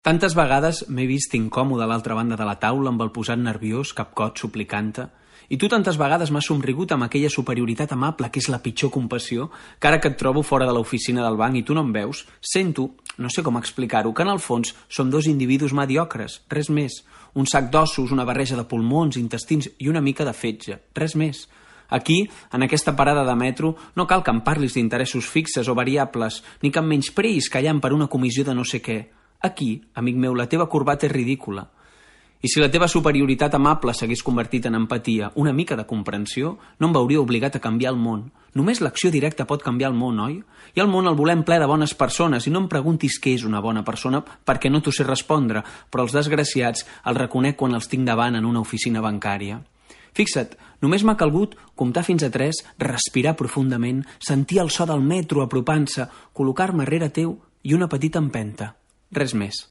Tantes vegades m'he vist incòmode a l'altra banda de la taula amb el posat nerviós, capcot, suplicant-te, i tu tantes vegades m'has somrigut amb aquella superioritat amable que és la pitjor compassió, que ara que et trobo fora de l'oficina del banc i tu no em veus, sento, no sé com explicar-ho, que en el fons som dos individus mediocres, res més. Un sac d'ossos, una barreja de pulmons, intestins i una mica de fetge, res més. Aquí, en aquesta parada de metro, no cal que em parlis d'interessos fixes o variables, ni que em menyspreïs callant per una comissió de no sé què. Aquí, amic meu, la teva corbata és ridícula. I si la teva superioritat amable s'hagués convertit en empatia, una mica de comprensió, no em veuria obligat a canviar el món. Només l'acció directa pot canviar el món, oi? I el món el volem ple de bones persones, i no em preguntis què és una bona persona perquè no t'ho sé respondre, però els desgraciats els reconec quan els tinc davant en una oficina bancària. Fixa't, només m'ha calgut comptar fins a 3, respirar profundament, sentir el so del metro apropant-se, col·locar-me rere teu i una petita empenta. Res més.